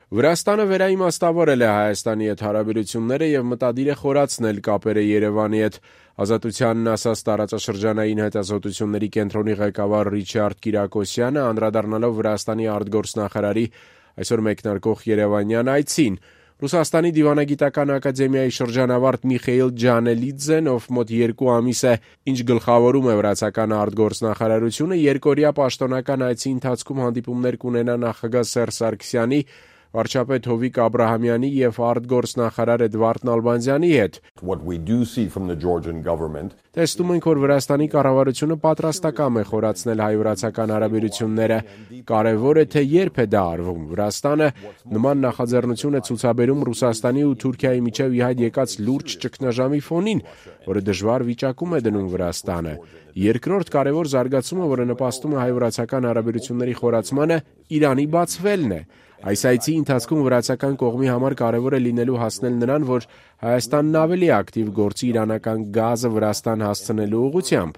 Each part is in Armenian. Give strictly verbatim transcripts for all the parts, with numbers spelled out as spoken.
Վրաստանը վերաիմաստավորել է Հայաստանի հետ հարաբերությունները և մտադիր է խորացնել կապերը Երևանի հետ։ Ազատությանն ասաց տարածաշրջանային հետազոտությունների կենտրոնի ղեկավար Ռիչարդ Կիրակոսյանը, անդրադառնալով Վրաստանի արտգործնախարարի այսօր մեկնարկող երևանյան այցին։ Ռուսաստանի դիվանագիտական ակադեմիայի շրջանավարտ Միխեիլ Ջանելիձեն, ով մոտ երկու ամիս է, ինչ գլխավորում է վրացական արտգործնախարարությունը, երկօրյա պաշտոնական այցի ընթացքում հանդիպումներ կունենա նախագահ Սերժ Սարգսյանի, վարչապետ Հովիկ Աբրահամյանի և արտգործնախարար Էդվարդ Նալբանդյանի հետ։ Տեսնում ենք, որ Վրաստանի կառավարությունը պատրաստակամ է խորացնել հայ-վրացական հարաբերությունները։ Կարևոր է, թե երբ է դա արվում։ Վրաստանը նման նախաձեռնություն է ցուցաբերում Ռուսաստանի ու Թուրքիայի միջև ի հայտ եկած լուրջ ճգնաժամի ֆոնին, որը դժվար վիճակում է դնում Վրաստանը։ Երկրորդ կարևոր զարգացումը, որը նպաստում է հայ-վրացական հարաբերությունների խորացմանը, Իրանի բացվելն է։ Այս այցի ընթացքում վրացական կողմի համար կարևոր է լինելու հասնել նրան, որ Հայաստանն ավելի ակտիվ գործի իրանական գազը Վրաստան հասցնելու ուղղությամբ։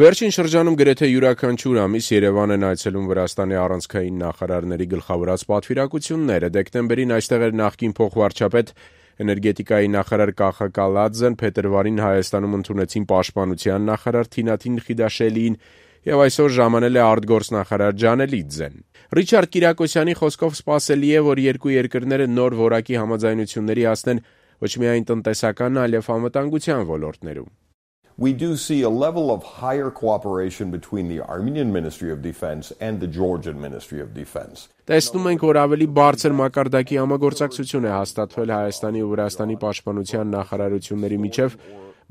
Վերջին շրջանում գրեթե յուրաքանչյուր ամիս Երևան են այցելում Վրաստանի առանցքային նախարարների գլխավորած պատվիրակությունները։ Դեկտեմբերին այստեղ էր նախկին փոխվարչապետ էներգետիկայի նախարար Կախա Կալաձեն, փետրվարին Հայաստանում ընդունեցին պաշտպանության նախարար Թինաթին Խիդաշելիին և այսօր ժամանել է արտգործնախարար Ջանելիձեն։ Ռիչարդ Կիրակոսյանի խոսքով սպասելի է, որ երկու երկրները նոր որակի համաձայնությունների հասնեն ոչ միայն տնտեսական, այլև անվտանգության ոլորտներում։ We do see a level of higher cooperation between the Armenian Ministry of Defense and the Georgian Ministry of Defense. Տեսնում ենք, որ ավելի բարձր մակարդակի համագործակցություն է հաստատվել Հայաստանի ու Վրաստանի պաշտպանության նախարարությունների միջև,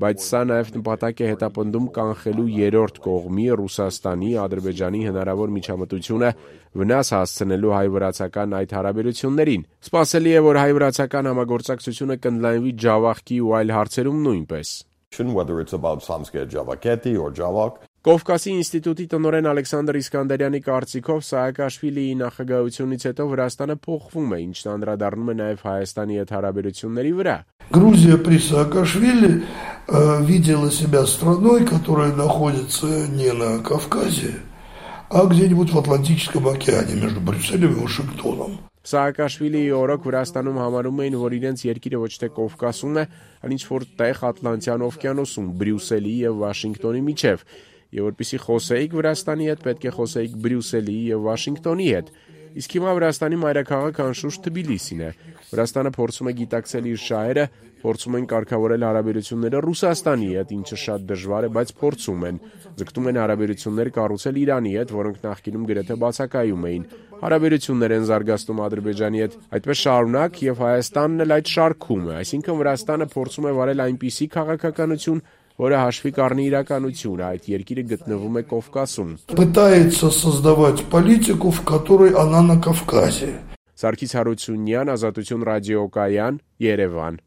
բայց սա նաև նպատակ է հետապնդում կանխելու երրորդ կողմի Ռուսաստանի, Ադրբեջանի հնարավոր միջամտությունը վնաս հասցնելու հայ-վրացական այդ հարաբերություններին։ Սպասելի է, որ հայ-վրացական համագործակցությունը կընդլայնվի Ջավախքի ու այլ հարցերում նույնպես։ Whether it's about Samskaya Javaketi or Javak. Կովկասի ինստիտուտի տնօրեն Ալեքսանդր Իսկանդարյանի կարծիքով Սաակաշվիլիի նախագահությունից հետո Վրաստանը փոխվում է, ինչն անդրադառնում է նաև Հայաստանի հետ հարաբերությունների վրա։ Грузия при Саакашвили видела себя страной, которая находится не на Кавказе, а где-нибудь в Атлантическом океане между Брюсселем и Вашингтоном. Սաակաշվիլիի օրոք Վրաստանում համարում էին, որ իրենց երկիրը ոչ թե Կովկասում է, այլ ինչ-որ տեղ Ատլանտյան օվկիանոսում, Բրյուսելի և Վաշինգտոնի միջև, և որպեսզի խոսեիք Վրաստանի հետ, պետք է խոսեիք Բրյուսելի և Վաշինգտոնի հետ։ Իսկ հիմա Վրաստանի մայրաքաղաքը անշուշտ Թբիլիսին է։ Վրաստանը փորձում է գիտակցել իր շահերը, փորձում են կարգավորել հարաբերությունները Ռուսաստանի հետ, ինչը շատ դժվար է, բայց փորձում են։ Ձգտում են հարաբերություններ կառուցել Իրանի հետ, որոնք նախկինում գրեթե բացակայում էին։ Հարաբերություններ են զարգացնում Ադրբեջանի հետ, այդպես շարունակ, և Հայաստանն էլ այդ շարքում է, այսինքն Վրաստանը փորձում է վարել այնպիսի քաղաքականություն, որը հաշվի կառնի իրականությունը, այդ երկիրը գտնվում է Կովկասում։ Пытается создавать политику, в которой она на Кавказе. Սարգիս Հարությունյան, Ազատություն ռադիոկայան, Երևան։